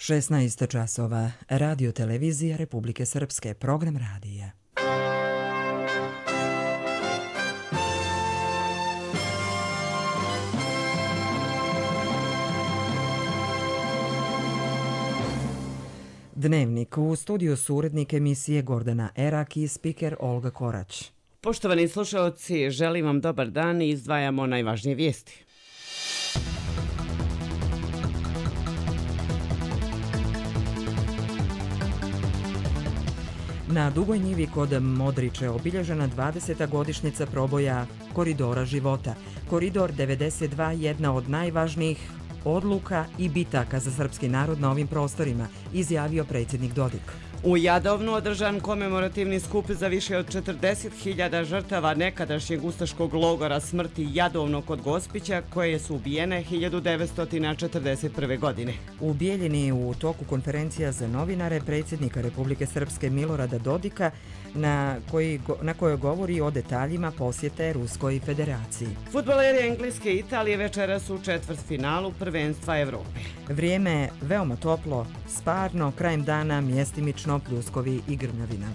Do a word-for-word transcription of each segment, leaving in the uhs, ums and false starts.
šesnaest časova. Radio televizija Republike Srpske. Program radija. Dnevnik. U studiju su urednik emisije Gordana Erak i spiker Olga Korać. Poštovani slušaoci, želim vam dobar dan i izdvajamo najvažnije vijesti. Na Dugoj njivi kod Modriče obilježena dvadeseta godišnjica proboja Koridora života. Koridor devedeset dva jedna od najvažnijih odluka i bitaka za srpski narod na ovim prostorima, izjavio predsjednik Dodik. U Jadovnu održan komemorativni skup za više od četrdeset hiljada žrtava nekadašnjeg ustaškog logora smrti Jadovno kod Gospića, koje su ubijene hiljadu devetsto četrdeset prve. godine. U Bijeljini u toku konferencija za novinare predsjednika Republike Srpske Milorada Dodika na, koji, na kojoj govori o detaljima posjete Ruskoj federaciji. Fudbaleri Engleske i Italije večeras su u četvrtfinalu prvenstva Evrope. Vrijeme veoma toplo, sparno, krajem dana mjestimično pljuskovi i grmljavina.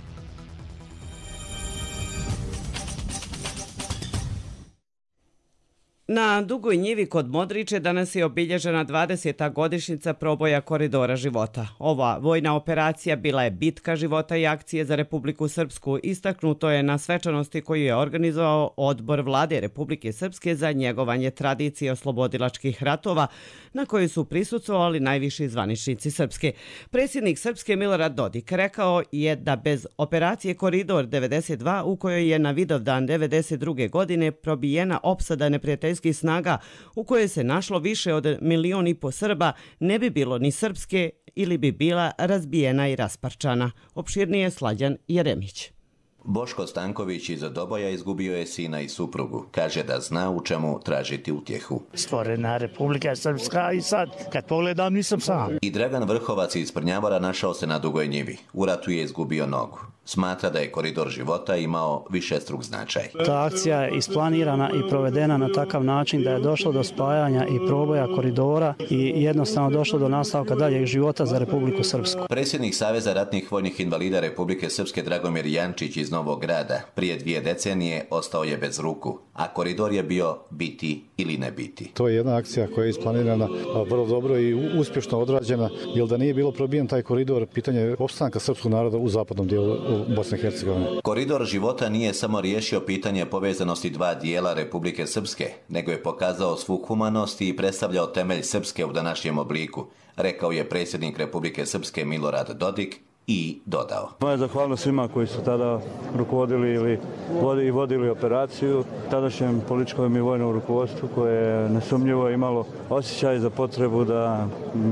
Na Dugoj njivi kod Modriče danas je obilježena dvadeseta godišnjica proboja Koridora života. Ova vojna operacija bila je bitka života i akcije za Republiku Srpsku. Istaknuto je na svečanosti koju je organizovao Odbor Vlade Republike Srpske za njegovanje tradicije oslobodilačkih ratova, na kojoj su prisustvovali najviši zvaničnici Srpske. Predsjednik Srpske Milorad Dodik rekao je da bez operacije Koridor devedeset dva, u kojoj je na Vidovdan devedeset druge. godine probijena opsada neprijateljskih snaga u kojoj se našlo više od milion i po Srba, ne bi bilo ni Srpske ili bi bila razbijena i rasparčana. Opširnije Slađan Jeremić. Boško Stanković iz Doboja izgubio je sina i suprugu. Kaže da zna u čemu tražiti utjehu. Stvorena Republika Srpska i sad, kad pogledam, nisam sam. I Dragan Vrhovac iz Prnjavora našao se na Dugoj njivi. U ratu je izgubio nogu. Smatra da je Koridor života imao višestruk značaj. Ta akcija je isplanirana i provedena na takav način da je došlo do spajanja i proboja koridora i jednostavno došlo do nastavka daljeg života za Republiku Srpsku. Predsjednik Saveza ratnih vojnih invalida Republike Srpske Dragomir Jančić iz Novog Grada prije dvije decenije ostao je bez ruku, a koridor je bio biti ili ne biti. To je jedna akcija koja je isplanirana vrlo dobro i uspješno odrađena, jer da nije bilo probijen taj koridor, pitanje opstanka srpskog naroda u zapadnom dijelu Bosne i Hercegovine. Koridor života nije samo riješio pitanje povezanosti dva dijela Republike Srpske, nego je pokazao svu humanost i predstavljao temelj Srpske u današnjem obliku, rekao je predsjednik Republike Srpske Milorad Dodik i dodao. Moja zahvalnost svima koji su tada rukovodili ili vodi, vodili operaciju, tadašnjem političkom i vojnom rukovodstvu koje je nesumnjivo imalo osjećaj za potrebu da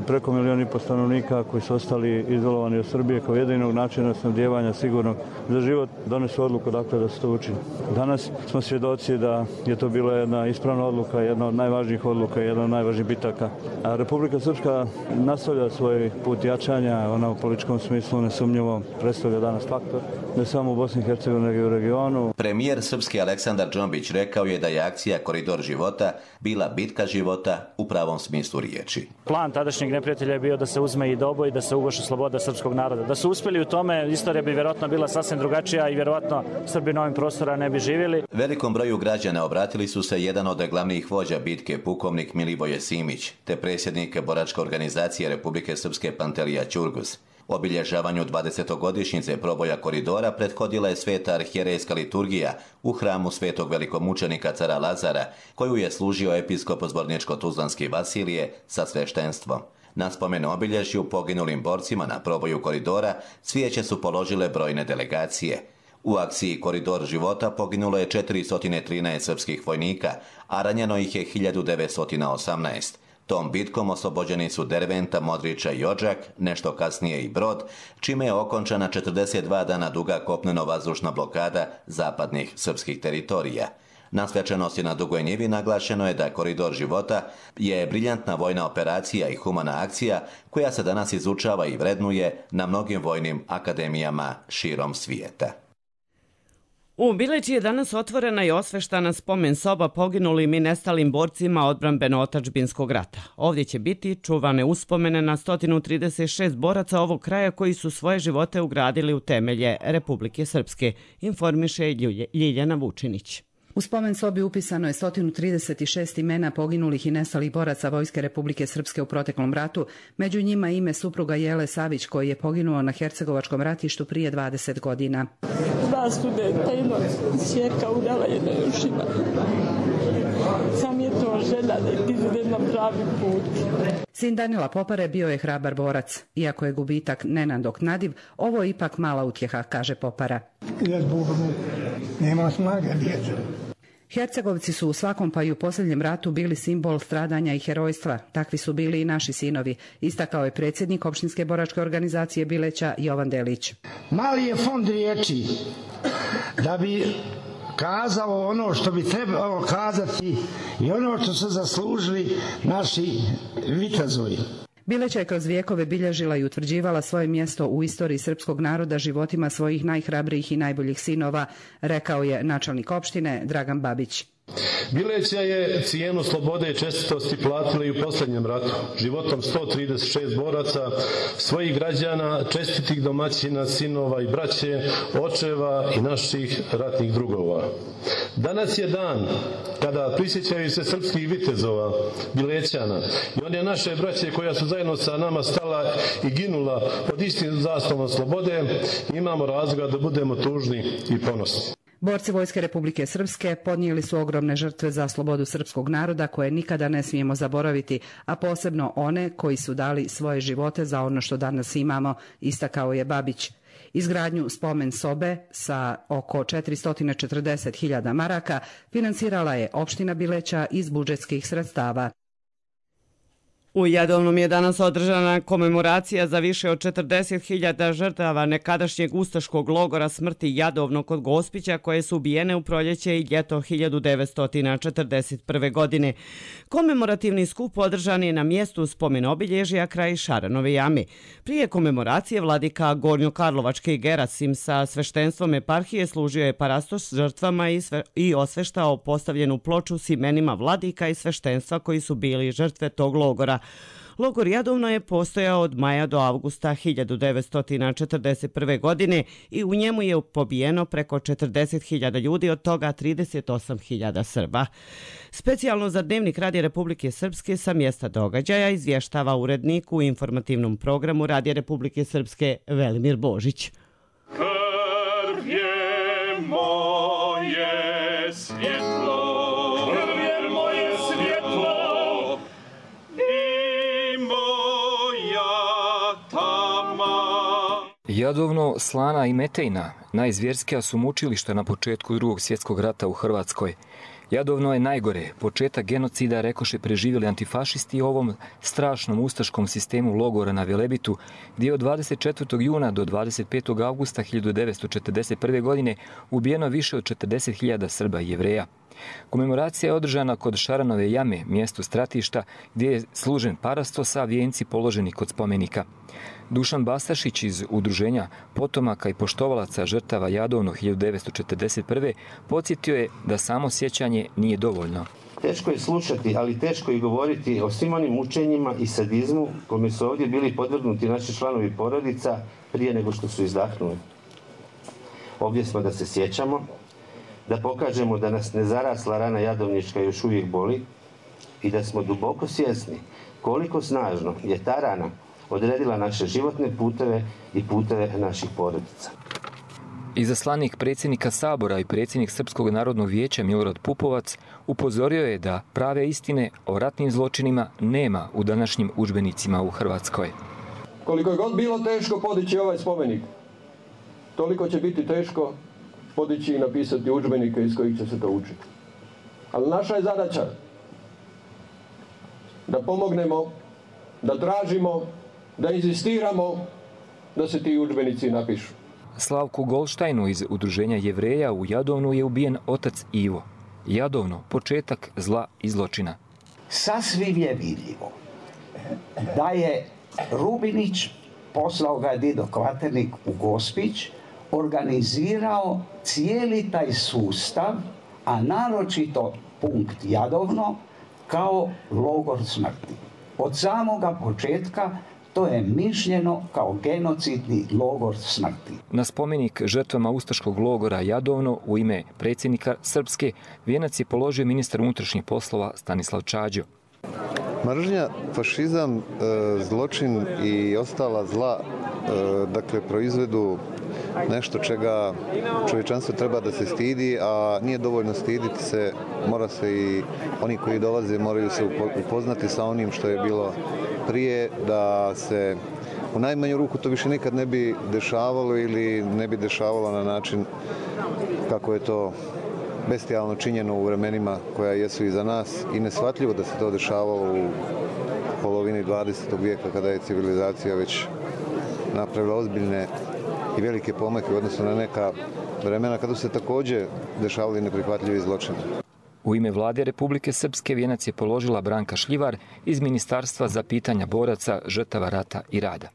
preko milijon i po stanovnika koji su ostali izolovani od Srbije kao jedinog načina snabdijevanja sigurnog za život donesu odluku dakle da se to učini. Danas smo svjedoci da je to bila jedna ispravna odluka, jedna od najvažnijih odluka, jedna od najvažnijih bitaka. A Republika Srpska nastavlja svoj put jačanja, ona u političkom smislu nesumnjivo predstavlja danas faktor, ne samo u Bosni i Hercegovini, nego i u regionu. Premijer Srpski Aleksandar Džombić rekao je da je akcija Koridor života bila bitka života u pravom smislu riječi. Plan tadašnjeg neprijatelja je bio da se uzme i Doboj i da se uguši sloboda srpskog naroda. Da su uspjeli u tome, istorija bi vjerojatno bila sasvim drugačija i vjerojatno Srbi na ovim prostora ne bi živjeli. Velikom broju građana obratili su se jedan od glavnih vođa bitke, pukovnik Milivoje Simić, te predsjednik boračke organizacije Republike Srpske Pantelija Ćurgus. Obilježavanju dvadesetogodišnjice proboja koridora prethodila je sveta arhijerejska liturgija u hramu svetog velikomučenika cara Lazara, koju je služio episkop Zvorničko-Tuzlanski Vasilije sa sveštenstvom. Na spomen obilježju poginulim borcima na proboju koridora cvijeće su položile brojne delegacije. U akciji Koridor života poginulo je četiristo trinaest srpskih vojnika, a ranjeno ih je hiljadu devetsto osamnaest. Tom bitkom oslobođeni su Derventa, Modriča i Odžak, nešto kasnije i Brod, čime je okončana četrdeset dva dana duga kopneno-vazdušna blokada zapadnih srpskih teritorija. Na svečanosti na Dugoj njivi naglašeno je da Koridor života je briljantna vojna operacija i humana akcija koja se danas izučava i vrednuje na mnogim vojnim akademijama širom svijeta. U Bileći je danas otvorena i osveštana spomen soba poginulim i nestalim borcima odbrambeno-otačbinskog rata. Ovdje će biti čuvane uspomene na sto trideset šest boraca ovog kraja koji su svoje živote ugradili u temelje Republike Srpske, informiše Ljiljana Vučinić. U spomen sobi upisano je sto trideset šest imena poginulih i nestalih boraca Vojske Republike Srpske u proteklom ratu, među njima ime supruga Jele Savić koji je poginuo na Hercegovačkom ratištu prije dvadeset godina. Dva studenta, jedno čerka udala, jedno još ima. Sam je to želja da ide na pravi put. Sin Danila Popare bio je hrabar borac. Iako je gubitak nenadoknadiv, ovo je ipak mala utjeha, kaže Popara. Ja zbog nema snage djeca. Hercegovci su u svakom pa i u posljednjem ratu bili simbol stradanja i herojstva. Takvi su bili i naši sinovi, istakao je predsjednik opštinske boračke organizacije Bileća Jovan Delić. Mali je fond riječi da bi kazao ono što bi trebalo kazati i ono što su zaslužili naši vitezovi. Bileća je kroz vijekove bilježila i utvrđivala svoje mjesto u istoriji srpskog naroda životima svojih najhrabrijih i najboljih sinova, rekao je načelnik opštine Dragan Babić. Bileća je cijenu slobode i čestitosti platila i u posljednjem ratu, životom sto trideset šest boraca, svojih građana, čestitih domaćina, sinova i braće, očeva i naših ratnih drugova. Danas je dan kada prisjećaju se srpskih vitezova, Bilećana i one naše braće koja su zajedno sa nama stala i ginula pod istim zastavom slobode, imamo razloga da budemo tužni i ponosni. Borci Vojske Republike Srpske podnijeli su ogromne žrtve za slobodu srpskog naroda koje nikada ne smijemo zaboraviti, a posebno one koji su dali svoje živote za ono što danas imamo, istakao je Babić. Izgradnju spomen sobe sa oko četiristo četrdeset hiljada maraka financirala je opština Bileća iz budžetskih sredstava. U Jadovnom je danas održana komemoracija za više od četrdeset hiljada žrtava nekadašnjeg ustaškog logora smrti Jadovno kod Gospića koje su ubijene u proljeće i ljeto hiljadu devetsto četrdeset prve. godine. Komemorativni skup održan je na mjestu spomen obilježja kraj Šaranove jame. Prije komemoracije vladika Gornjokarlovačke Gerasim sa sveštenstvom eparhije služio je parastos žrtvama i, sve, i osveštao postavljenu ploču s imenima vladika i sveštenstva koji su bili žrtve tog logora. Logor Jadovno je postojao od maja do avgusta hiljadu devetsto četrdeset prve. godine i u njemu je pobijeno preko četrdeset hiljada ljudi, od toga trideset osam hiljada Srba. Specijalno za Dnevnik Radija Republike Srpske sa mjesta događaja izvještava urednik u informativnom programu Radija Republike Srpske Velimir Božić. Krv je moje svjetlo. Jadovno, Slana i Metejna, najzvjerskija su mučilišta na početku drugog svjetskog rata u Hrvatskoj. Jadovno je najgore, početak genocida rekoše preživjeli antifašisti u ovom strašnom ustaškom sistemu logora na Velebitu, gdje je od dvadeset četvrtog juna do dvadeset petog avgusta hiljadu devetsto četrdeset prve. godine ubijeno više od četrdeset hiljada Srba i Jevreja. Komemoracija je održana kod Šaranove jame, mjesto stratišta, gdje je služen parastos, a vijenci položeni kod spomenika. Dušan Bastašić iz Udruženja potomaka i poštovalaca žrtava Jadovno hiljadu devetsto četrdeset prve. podsjetio je da samo sjećanje nije dovoljno. Teško je slušati, ali teško je govoriti o svim onim mučenjima i sadizmu kome su ovdje bili podvrgnuti naši članovi porodica prije nego što su izdahnuli. Ovdje smo da se sjećamo, da pokažemo da nas nezarasla rana jadovnička još uvijek boli i da smo duboko svjesni koliko snažno je ta rana odredila naše životne puteve i puteve naših porodica. Izaslanik predsjednika Sabora i predsjednik Srpskog narodnog vijeća Milorad Pupovac upozorio je da prave istine o ratnim zločinima nema u današnjim udžbenicima u Hrvatskoj. Koliko je god bilo teško podići ovaj spomenik, toliko će biti teško podići i napisati udžbenike iz kojih će se to učiti. Ali naša je zadaća da pomognemo, da tražimo, da inzistiramo da se ti udžbenici napišu. Slavku Golštajnu iz Udruženja Jevreja u Jadovnu je ubijen otac Ivo. Jadovno, početak zla i zločina. Sasvim je vidljivo da je Rubinić, poslao ga je Dido Kvaternik u Gospić, organizirao cijeli taj sustav, a naročito punkt Jadovno, kao logor smrti. Od samoga početka to je mišljeno kao genocidni logor smrti. Na spomenik žrtvama ustaškog logora Jadovno u ime predsjednika Srpske vijenac je položio ministar unutrašnjih poslova Stanislav Čađo. Mržnja, fašizam, zločin i ostala zla, dakle, proizvedu nešto čega čovječanstvo treba da se stidi, a nije dovoljno stiditi se, mora se i oni koji dolaze moraju se upoznati sa onim što je bilo prije, da se u najmanju ruku to više nikad ne bi dešavalo ili ne bi dešavalo na način kako je to bestijalno činjeno u vremenima koja jesu iza nas i neshvatljivo da se to dešavalo u polovini dvadesetog vijeka kada je civilizacija već napravila ozbiljne i velike pomake u odnosu na neka vremena kada su se također dešavali neprihvatljivi zločini. U ime vlade Republike Srpske vijenac je položila Branka Šljivar iz Ministarstva za pitanja boraca, žrtava rata i rada.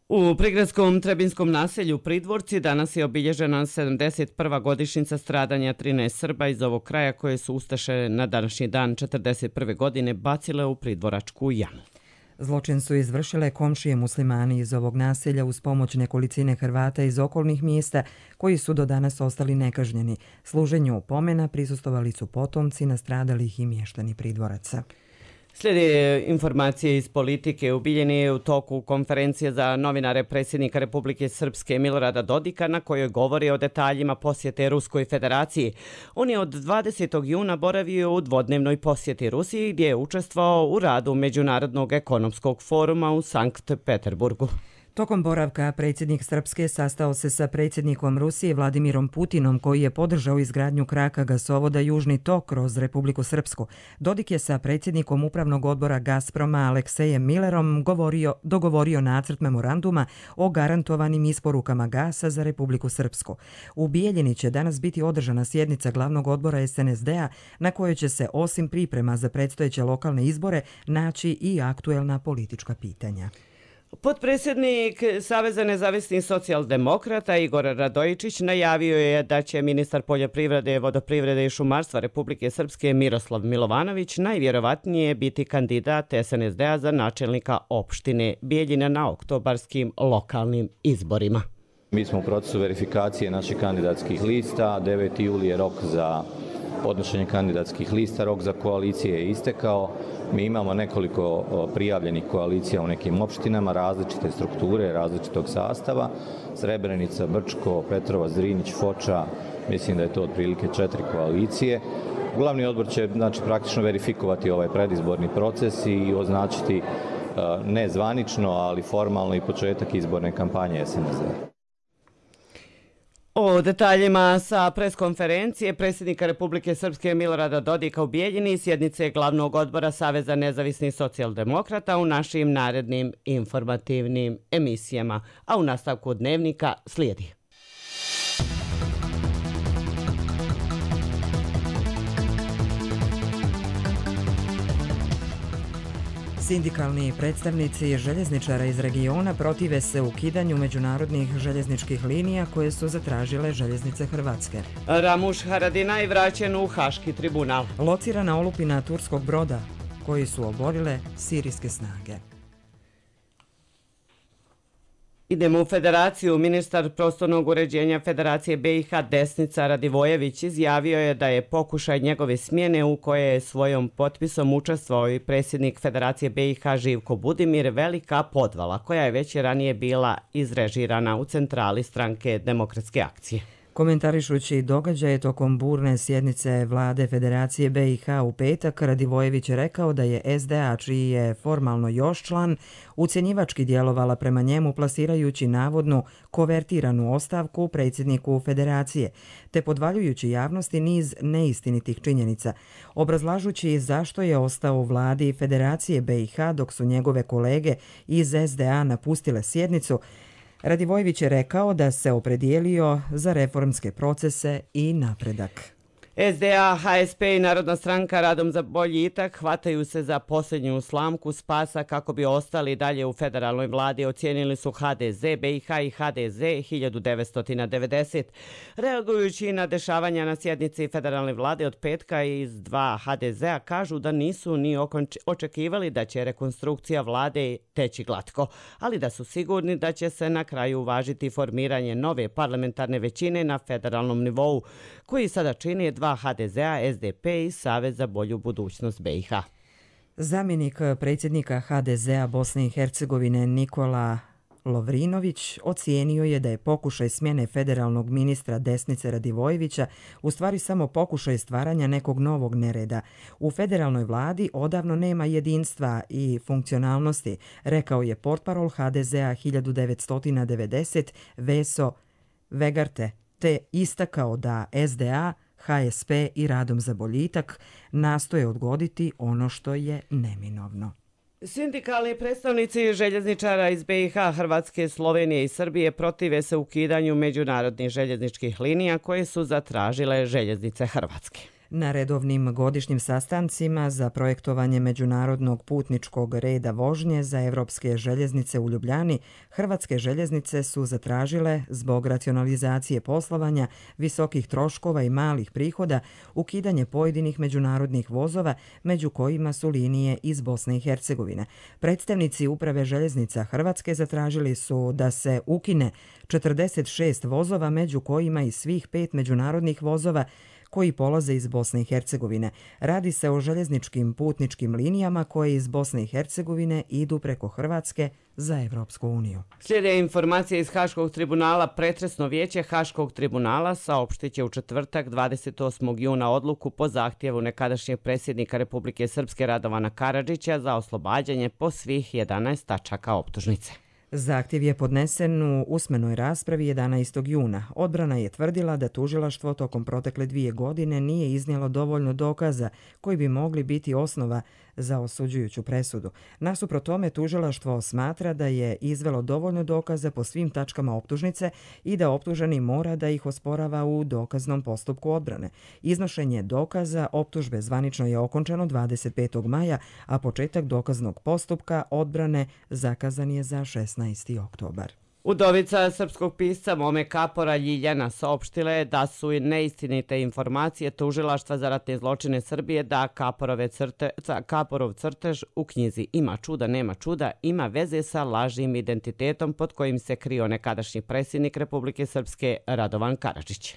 U prigradskom Trebinskom naselju Pridvorci danas je obilježena sedamdeset prva godišnjica stradanja trinaest Srba iz ovog kraja koje su ustaše na današnji dan četrdeset prve godine bacile u pridvoračku jamu. Zločin su izvršile komšije muslimani iz ovog naselja uz pomoć nekolicine Hrvata iz okolnih mjesta koji su do danas ostali nekažnjeni. Služenju pomena prisustvovali su potomci nastradalih i mještani Pridvoraca. Slijede informacije iz politike. Ubiljen je u toku konferencije za novinare predsjednika Republike Srpske Milorada Dodika na kojoj govori o detaljima posjete Ruskoj federaciji. On je od dvadesetog juna boravio u dvodnevnoj posjeti Rusiji gdje je učestvovao u radu Međunarodnog ekonomskog foruma u Sankt Peterburgu. Tokom boravka predsjednik Srpske sastao se sa predsjednikom Rusije Vladimirom Putinom koji je podržao izgradnju kraka gasovoda Južni tok kroz Republiku Srpsku. Dodik je sa predsjednikom upravnog odbora Gazproma Aleksejem Millerom govorio, dogovorio nacrt memoranduma o garantovanim isporukama gasa za Republiku Srpsku. U Bijeljini će danas biti održana sjednica glavnog odbora es en es de a na kojoj će se osim priprema za predstojeće lokalne izbore naći i aktuelna politička pitanja. Potpredsjednik Saveza nezavisnih socijaldemokrata Igor Radojičić najavio je da će ministar poljoprivrede, vodoprivrede i šumarstva Republike Srpske Miroslav Milovanović najvjerovatnije biti kandidat es en es de a za načelnika opštine Bijeljina na oktobarskim lokalnim izborima. Mi smo u procesu verifikacije naših kandidatskih lista. deveti juli je rok za podnošenje kandidatskih lista, rok za koalicije je istekao. Mi imamo nekoliko prijavljenih koalicija u nekim opštinama, različite strukture, različitog sastava. Srebrenica, Brčko, Petrovac, Zrinić, Foča, mislim da je to otprilike četiri koalicije. Glavni odbor će, znači, praktično verifikovati ovaj predizborni proces i označiti ne zvanično, ali formalno i početak izborne kampanje es en es de a. O detaljima sa preskonferencije predsjednika Republike Srpske Milorada Dodika u Bijeljini i sjednice glavnog odbora Saveza nezavisnih socijaldemokrata u našim narednim informativnim emisijama, a u nastavku dnevnika slijedi. Sindikalni predstavnici željezničara iz regiona protive se ukidanju međunarodnih željezničkih linija koje su zatražile željeznice Hrvatske. Ramuš Haradinaj vraćen u Haški tribunal. Locirana olupina turskog broda koji su oborile sirijske snage. Idemo u Federaciju. Ministar prostornog uređenja Federacije be i ha Desnica Radivojević izjavio je da je pokušaj njegove smjene u koje je svojom potpisom učestvovao i predsjednik Federacije be i ha Živko Budimir velika podvala koja je već ranije bila izrežirana u centrali stranke Demokratske akcije. Komentarišući događaje tokom burne sjednice vlade Federacije be i ha u petak, Radivojević je rekao da je es de a, čiji je formalno još član, ucjenjivački djelovala prema njemu plasirajući navodnu kovertiranu ostavku predsjedniku Federacije, te podvaljujući javnosti niz neistinitih činjenica, obrazlažući zašto je ostao u vladi Federacije be i ha dok su njegove kolege iz es de a napustile sjednicu. Radivojević je rekao da se opredijelio za reformske procese i napredak. S D A, H S P i Narodna stranka Radom za boljitak hvataju se za posljednju slamku spasa kako bi ostali dalje u federalnoj vladi, ocijenili su H D Z, B i H i H D Z hiljadu devetsto devedeset. Reagujući na dešavanja na sjednici federalne vlade od petka iz dva H D Z-a kažu da nisu ni očekivali da će rekonstrukcija vlade teći glatko, ali da su sigurni da će se na kraju uvažiti formiranje nove parlamentarne većine na federalnom nivou, koji sada čini dva H D Z-a, S D P i Savez za bolju budućnost B i H. Zamjenik predsjednika H D Z-a Bosne i Hercegovine Nikola Lovrinović ocijenio je da je pokušaj smjene federalnog ministra Desnice Radivojevića u stvari samo pokušaj stvaranja nekog novog nereda. U federalnoj vladi odavno nema jedinstva i funkcionalnosti, rekao je portparol H D Z-a hiljadu devetsto devedeset Veso Vegarte, te istakao da S D A, H S P i Radom za boljitak nastoje odgoditi ono što je neminovno. Sindikalni predstavnici željezničara iz B i H, Hrvatske, Slovenije i Srbije protive se ukidanju međunarodnih željezničkih linija koje su zatražile željeznice Hrvatske. Na redovnim godišnjim sastancima za projektovanje međunarodnog putničkog reda vožnje za evropske željeznice u Ljubljani, Hrvatske željeznice su zatražile, zbog racionalizacije poslovanja, visokih troškova i malih prihoda, ukidanje pojedinih međunarodnih vozova, među kojima su linije iz Bosne i Hercegovine. Predstavnici Uprave željeznica Hrvatske zatražili su da se ukine četrdeset šest vozova, među kojima i svih pet međunarodnih vozova koji polaze iz Bosne i Hercegovine. Radi se o željezničkim putničkim linijama koje iz Bosne i Hercegovine idu preko Hrvatske za Evropsku uniju. Slijede informacije iz Haškog tribunala. Pretresno vijeće Haškog tribunala saopštit će u četvrtak dvadeset osmog juna odluku po zahtjevu nekadašnjeg predsjednika Republike Srpske Radovana Karadžića za oslobađanje po svih jedanaest tačaka optužnice. Zahtjev je podnesen u usmenoj raspravi jedanaestog juna. Odbrana je tvrdila da tužilaštvo tokom protekle dvije godine nije iznijelo dovoljno dokaza koji bi mogli biti osnova za osuđujuću presudu. Nasuprot tome, tužilaštvo smatra da je izvelo dovoljno dokaza po svim tačkama optužnice i da optuženi mora da ih osporava u dokaznom postupku odbrane. Iznošenje dokaza optužbe zvanično je okončano dvadeset petog maja, a početak dokaznog postupka odbrane zakazan je za šesnaesti oktobar. Udovica srpskog pisca Mome Kapora Ljiljana saopštila je da su neistinite informacije tužilaštva za ratne zločine Srbije da Kaporove crte, Kaporov crtež u knjizi Ima čuda, nema čuda ima veze sa lažnim identitetom pod kojim se krio nekadašnji predsjednik Republike Srpske Radovan Karadžić.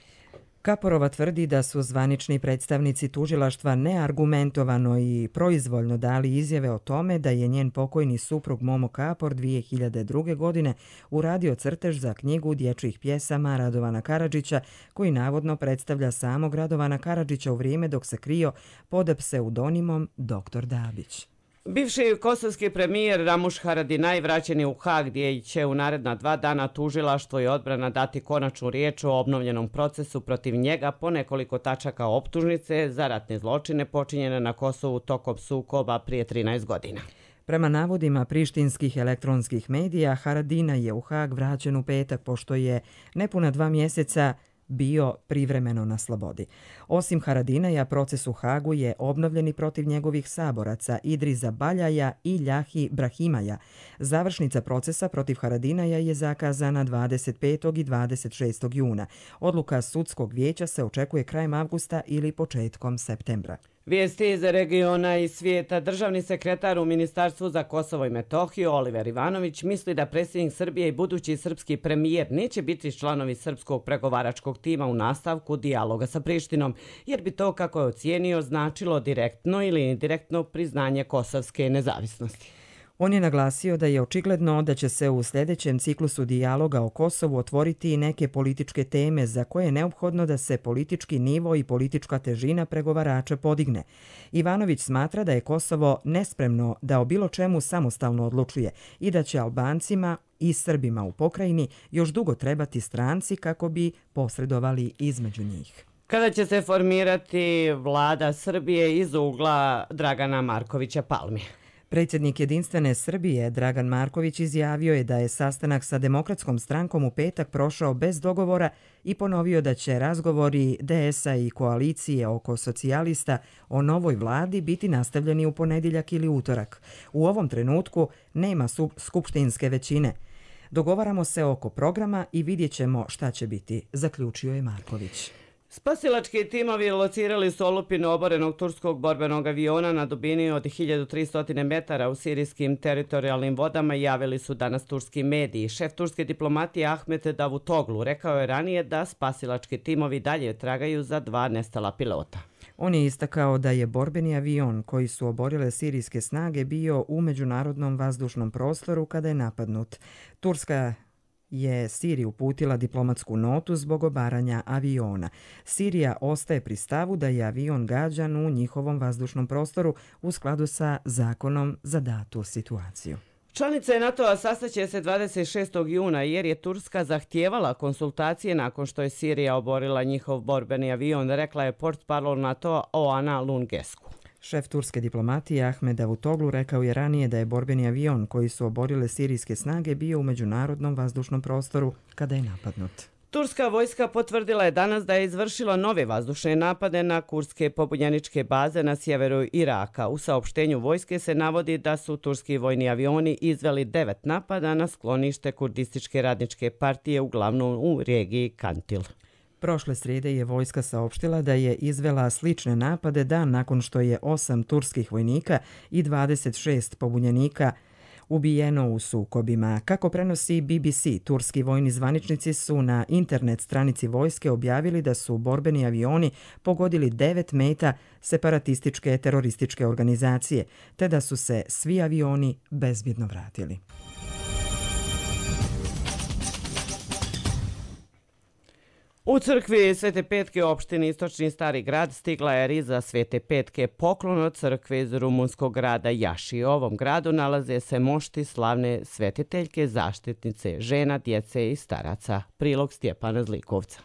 Kaporova tvrdi da su zvanični predstavnici tužilaštva neargumentovano i proizvoljno dali izjave o tome da je njen pokojni suprug Momo Kapor dvije hiljade druge. godine uradio crtež za knjigu dječjih pjesama Radovana Karadžića, koji navodno predstavlja samog Radovana Karadžića u vrijeme dok se krio pod pseudonimom doktor Dabić. Bivši kosovski premijer Ramuš Haradinaj vraćen je u Hag gdje će u naredna dva dana tužilaštvo i odbrana dati konačnu riječ o obnovljenom procesu protiv njega po nekoliko tačaka optužnice za ratne zločine počinjene na Kosovu tokom sukoba prije trinaest godina. Prema navodima prištinskih elektronskih medija, Haradinaj je u Hag vraćen u petak pošto je nepuna dva mjeseca bio privremeno na slobodi. Osim Haradinaja, proces u Hagu je obnovljen i protiv njegovih saboraca Idriza Baljaja i Ljahi Brahimaja. Završnica procesa protiv Haradinaja je zakazana dvadeset petog i dvadeset šestog juna. Odluka sudskog vijeća se očekuje krajem avgusta ili početkom septembra. Vijesti iz regiona i svijeta. Državni sekretar u Ministarstvu za Kosovo i Metohiju Oliver Ivanović misli da predsjednik Srbije i budući srpski premijer neće biti članovi srpskog pregovaračkog tima u nastavku dijaloga sa Prištinom, jer bi to, kako je ocijenio, značilo direktno ili indirektno priznanje kosovske nezavisnosti. On je naglasio da je očigledno da će se u sljedećem ciklusu dijaloga o Kosovu otvoriti i neke političke teme za koje je neophodno da se politički nivo i politička težina pregovarača podigne. Ivanović smatra da je Kosovo nespremno da o bilo čemu samostalno odlučuje i da će Albancima i Srbima u pokrajini još dugo trebati stranci kako bi posredovali između njih. Kada će se formirati vlada Srbije iz ugla Dragana Markovića Palme? Predsjednik Jedinstvene Srbije Dragan Marković izjavio je da je sastanak sa Demokratskom strankom u petak prošao bez dogovora i ponovio da će razgovori D S A i koalicije oko socijalista o novoj vladi biti nastavljeni u ponedjeljak ili utorak. U ovom trenutku nema skupštinske većine. Dogovaramo se oko programa i vidjet ćemo šta će biti, zaključio je Marković. Spasilački timovi locirali su olupinu oborenog turskog borbenog aviona na dubini od hiljadu tristo metara u sirijskim teritorijalnim vodama i javili su danas turski mediji. Šef turske diplomatije Ahmet Davutoglu rekao je ranije da spasilački timovi dalje tragaju za dva nestala pilota. On je istakao da je borbeni avion koji su oborile sirijske snage bio u međunarodnom vazdušnom prostoru kada je napadnut. Turska je Siriji uputila diplomatsku notu zbog obaranja aviona. Sirija ostaje pri stavu da je avion gađan u njihovom vazdušnom prostoru u skladu sa zakonom za datu situaciju. Članice NATO-a sastaće se dvadeset šestog juna jer je Turska zahtijevala konsultacije nakon što je Sirija oborila njihov borbeni avion, rekla je portparol NATO-a Oana Lungescu. Šef turske diplomatije Ahmed Davutoglu rekao je ranije da je borbeni avion koji su oborile sirijske snage bio u međunarodnom vazdušnom prostoru kada je napadnut. Turska vojska potvrdila je danas da je izvršila nove vazdušne napade na kurdske pobunjeničke baze na sjeveru Iraka. U saopštenju vojske se navodi da su turski vojni avioni izveli devet napada na sklonište kurdističke radničke partije, uglavnom u regiji Kantil. Prošle srijede je vojska saopštila da je izvela slične napade dan nakon što je osam turskih vojnika i dvadeset šest pobunjenika ubijeno u sukobima. Kako prenosi B B C, turski vojni zvaničnici su na internet stranici vojske objavili da su borbeni avioni pogodili devet meta separatističke terorističke organizacije, te da su se svi avioni bezbjedno vratili. U crkvi Svete Petke u opštini Istočni Stari grad stigla je riza Svete Petke, poklon od crkve iz rumunskog grada Jaši. U ovom gradu nalaze se mošti slavne svetiteljke, zaštitnice žena, djece i staraca. Prilog Stjepana Zlikovca.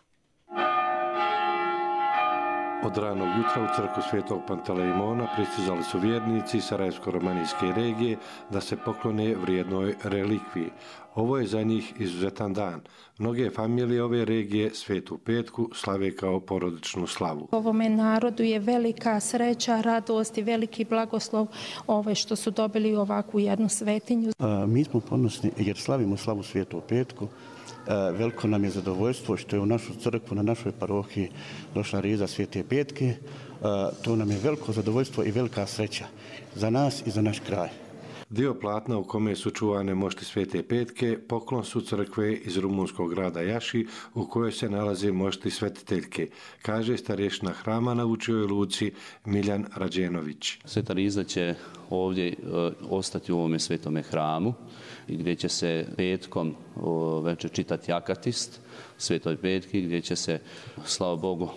Od ranog jutra u crkvu Svetog Pantelejmona pristizali su vjernici Sarajevsko-romanijske regije da se poklone vrijednoj relikviji. Ovo je za njih izuzetan dan. Mnoge familije ove regije Svetu Petku slave kao porodičnu slavu. Ovome narodu je velika sreća, radost i veliki blagoslov ove što su dobili ovakvu jednu svetinju. A, mi smo ponosni jer slavimo slavu Svetu Petku. Veliko nam je zadovoljstvo što je u našu crkvu, na našoj parohiji došla riza Svete Petke. To nam je veliko zadovoljstvo i velika sreća za nas i za naš kraj. Dio platna u kome su čuvane mošti Svete Petke poklon su crkve iz rumunskog grada Jaši u kojoj se nalaze mošti svetiteljke, kaže starješna hrama na Vučijoj luci Miljan Rađenović. Sveta riza će ovdje ostati u ovome svetome hramu gdje će se petkom večer čitati akatist Svetoj Petki, gdje će se, slava Bogu,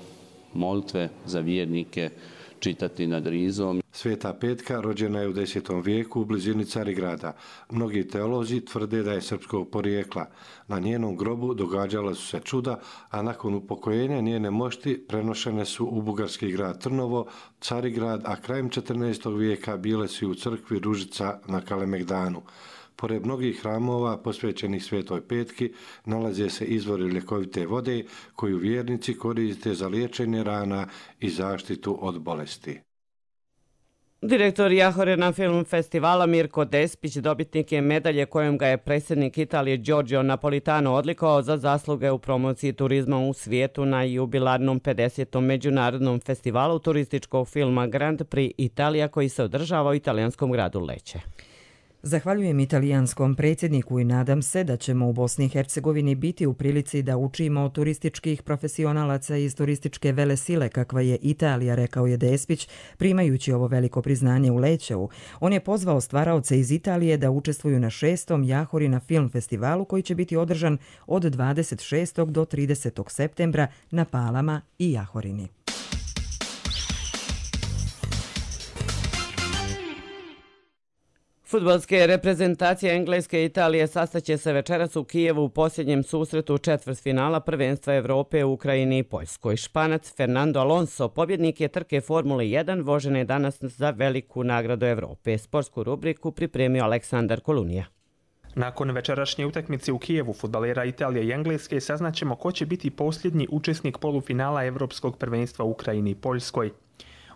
molitve za vjernike čitati nad rizom. Sveta Petka rođena je u desetom vijeku u blizini Carigrada. Mnogi teolozi tvrde da je srpskog porijekla. Na njenom grobu događala su se čuda, a nakon upokojenja njene mošti prenošene su u bugarski grad Trnovo, Carigrad, a krajem četrnaestog vijeka bile su u crkvi Ružica na Kalemegdanu. Pored mnogih hramova posvećenih Svetoj Petki nalaze se izvori ljekovite vode koju vjernici koriste za liječenje rana i zaštitu od bolesti. Direktor Jahorina film festivala Mirko Despić dobitnik je medalje kojom ga je predsjednik Italije Giorgio Napolitano odlikovao za zasluge u promociji turizma u svijetu na jubilarnom pedesetom međunarodnom festivalu turističkog filma Grand Prix Italija koji se održava u italijanskom gradu Lecce. Zahvaljujem italijanskom predsjedniku i nadam se da ćemo u Bosni i Hercegovini biti u prilici da učimo od turističkih profesionalaca iz turističke velesile kakva je Italija, rekao je Despić, primajući ovo veliko priznanje u Lećeu. On je pozvao stvaraoce iz Italije da učestvuju na šestom Jahorina film festivalu koji će biti održan od dvadeset šestog do tridesetog septembra na Palama i Jahorini. Fudbalske reprezentacije Engleske i Italije sastaće se večeras u Kijevu u posljednjem susretu četvrtfinala prvenstva Evrope u Ukrajini i Poljskoj. Španac Fernando Alonso, pobjednik je trke Formule jedan, vožen je danas za veliku nagradu Evrope. Sportsku rubriku pripremio Aleksandar Kolunija. Nakon večerašnje utakmice u Kijevu fudbalera Italije i Engleske saznaćemo ko će biti posljednji učesnik polufinala Evropskog prvenstva u Ukrajini i Poljskoj.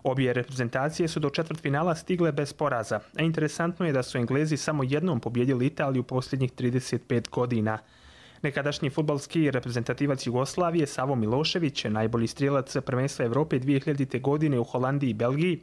Obje reprezentacije su do četvrtfinala stigle bez poraza, a interesantno je da su Englezi samo jednom pobjedili Italiju posljednjih trideset pet godina. Nekadašnji fudbalski reprezentativac Jugoslavije Savo Milošević, najbolji strijelac prvenstva Evrope dvije hiljadite. godine u Holandiji i Belgiji,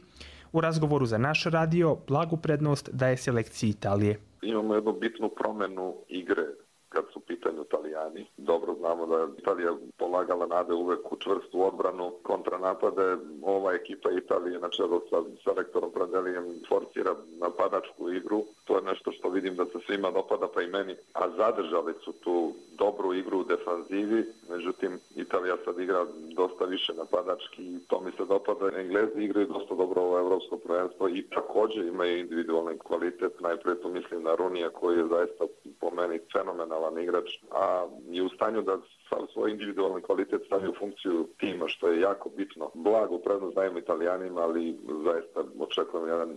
u razgovoru za naš radio blagu prednost daje selekciji Italije. Imamo jednu bitnu promjenu igre kad su u pitanju Italijani. Dobro znamo da je Italija polagala nade uvek u čvrstu odbranu, kontranapade. Ova ekipa Italije na čelu sa selektorom Pradelijem forsira napadačku igru. To je nešto što vidim da se svima dopada, pa i meni. A zadržali su tu dobru igru u defanzivi. Međutim, Italija sad igra dosta više napadački i to mi se dopada. Englezi igraju dosta dobro ovo evropsko prvenstvo i također imaju individualni kvalitet. Najprije tu mislim na Runija koji je zaista po meni fenomenalan igrač, a je u stanju da sav svoj individualni kvalitet stavi u funkciju tima, što je jako bitno. Blagu prednost dajemo Italijanima, ali zaista očekujem jedan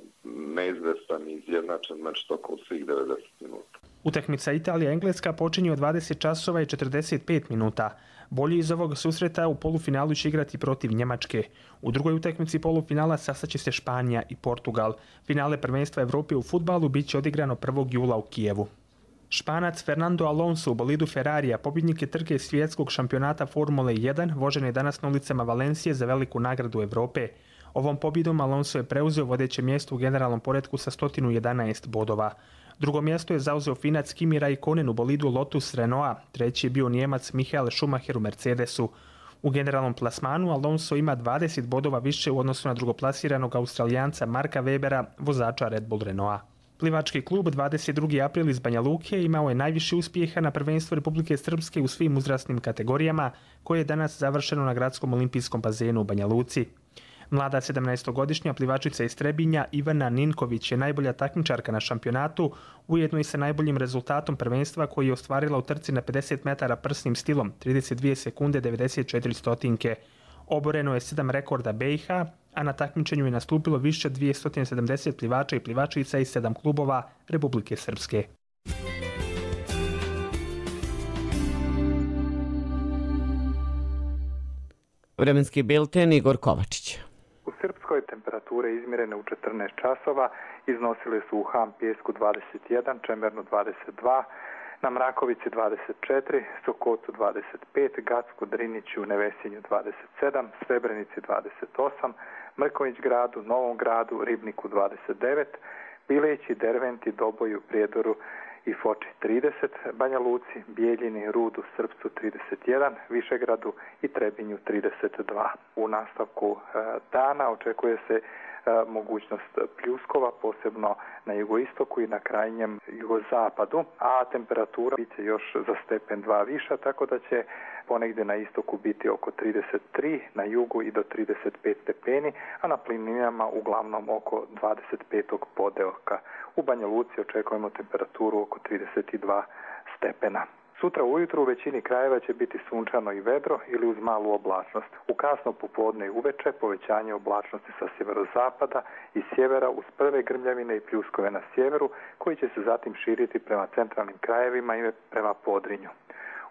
neizvestan i izjednačen meč tokom svih devedeset minuta. Utakmica Italija-Engleska počinje od dvadeset časova i četrdeset pet minuta. Bolji iz ovog susreta u polufinalu će igrati protiv Njemačke. U drugoj utakmici polufinala sastaće se Španija i Portugal. Finale prvenstva Evrope u fudbalu bit će odigrano prvog jula u Kijevu. Španac Fernando Alonso u bolidu Ferrarija, pobjednik je trke svjetskog šampionata Formule jedan, vožen je danas na ulicama Valencije za veliku nagradu Evrope. Ovom pobjedom Alonso je preuzeo vodeće mjesto u generalnom poretku sa sto jedanaest bodova. Drugo mjesto je zauzeo Finac Kimi Raikkonen u bolidu Lotus Renaulta, treći je bio Nijemac Michael Schumacher u Mercedesu. U generalnom plasmanu Alonso ima dvadeset bodova više u odnosu na drugoplasiranog Australijanca Marka Webera, vozača Red Bull Renaulta. Plivački klub dvadeset drugi april iz Banja Luke imao je najviše uspjeha na prvenstvu Republike Srpske u svim uzrasnim kategorijama, koje je danas završeno na gradskom olimpijskom bazenu u Banja Luci. Mlada sedamnaestogodišnja plivačica iz Trebinja Ivana Ninković je najbolja takmičarka na šampionatu, ujedno i sa najboljim rezultatom prvenstva koji je ostvarila u trci na pedeset metara prsnim stilom, trideset dvije sekunde devedeset četiri stotinke. Oboreno je sedam rekorda B i H, a na takmičenju je nastupilo više od dvjesto sedamdeset plivača i plivačica iz sedam klubova Republike Srpske. Vremenski bilten Igor Kovačić. U Srpskoj temperature izmjerene u četrnaest časova iznosile su u Ham Pijesku dvadeset jedan, Čemernu dvadeset dva, na Mrakovici dvadeset četiri, Sokocu dvadeset pet, Gacku, Driniću, Nevesinju dvadeset sedam, Srebrenici dvadeset osam, Mrković gradu, Novom gradu, Ribniku dvadeset devet, Bileći, Derventi, Doboju, Prijedoru i Foči trideset, Banja Luci, Bijeljini, Rudu, Srpcu trideset jedan, Višegradu i Trebinju trideset dva. U nastavku dana očekuje se mogućnost pljuskova, posebno na jugoistoku i na krajnjem jugozapadu, a temperatura bit će još za stepen dva viša, tako da će ponegdje na istoku biti oko trideset tri, na jugu i do trideset pet stepeni, a na planinama uglavnom oko dvadeset pet podeoka. U Banja Luci očekujemo temperaturu oko trideset dva stepena. Sutra ujutro u većini krajeva će biti sunčano i vedro ili uz malu oblačnost. U kasno popodne i uveče povećanje oblačnosti sa sjeverozapada i sjevera uz prve grmljavine i pljuskove na sjeveru, koji će se zatim širiti prema centralnim krajevima i prema Podrinju.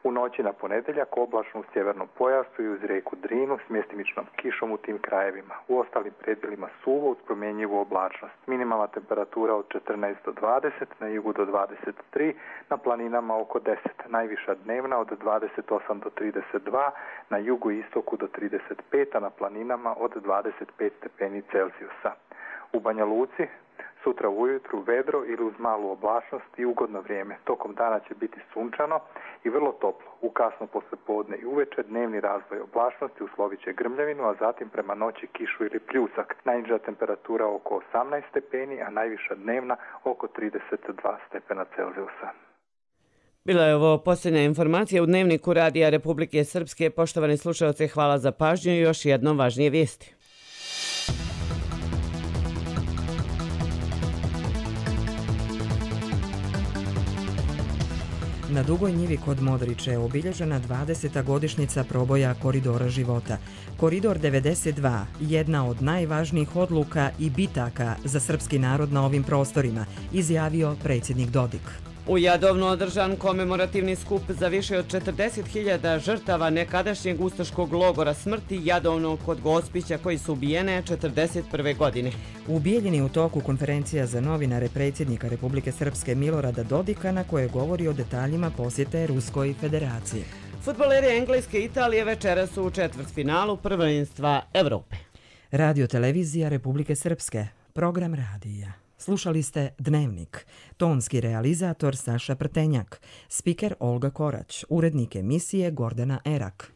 U noći na ponedjeljak oblačno u sjevernom pojasu i uz rijeku Drinu s mjestimičnom kišom u tim krajevima. U ostalim predjelima suvo uz promjenjivu oblačnost. Minimalna temperatura od četrnaest do dvadeset, na jugu do dvadeset tri, na planinama oko deset. Najviša dnevna od dvadeset osam do trideset dva, na jugu i istoku do trideset pet, a na planinama od dvadeset pet stepeni Celzijusa. U Banja Luci sutra ujutru vedro ili uz malu oblačnost i ugodno vrijeme. Tokom dana će biti sunčano i vrlo toplo. U kasno poslijepodne i uveče dnevni razvoj oblačnosti uslovit će grmljavinu, a zatim prema noći kišu ili pljusak. Najniža temperatura oko osamnaest stepeni, a najviša dnevna oko trideset dva stepena Celzijusa. Bila je ovo posljednja informacija u Dnevniku Radija Republike Srpske. Poštovani slušalci, hvala za pažnju i još jednom važnije vijesti. Na Dugoj njivi kod Modriče je obilježena dvadeseta godišnjica proboja Koridora života. Koridor devedeset dva, jedna od najvažnijih odluka i bitaka za srpski narod na ovim prostorima, izjavio predsjednik Dodik. U Jadovnu održan komemorativni skup za više od četrdeset hiljada žrtava nekadašnjeg ustaškog logora smrti Jadovno kod Gospića koji su ubijene četrdeset prve godine. U Bijeljini u toku konferencija za novinare predsjednika Republike Srpske Milorada Dodika na koje govori o detaljima posjete Ruskoj federaciji. Fudbaleri Engleske i Italije večera su u četvrtfinalu prvenstva Evrope. Radio televizija Republike Srpske, program radija. Slušali ste Dnevnik, tonski realizator Saša Prtenjak, spiker Olga Korać, urednik emisije Gordana Erak.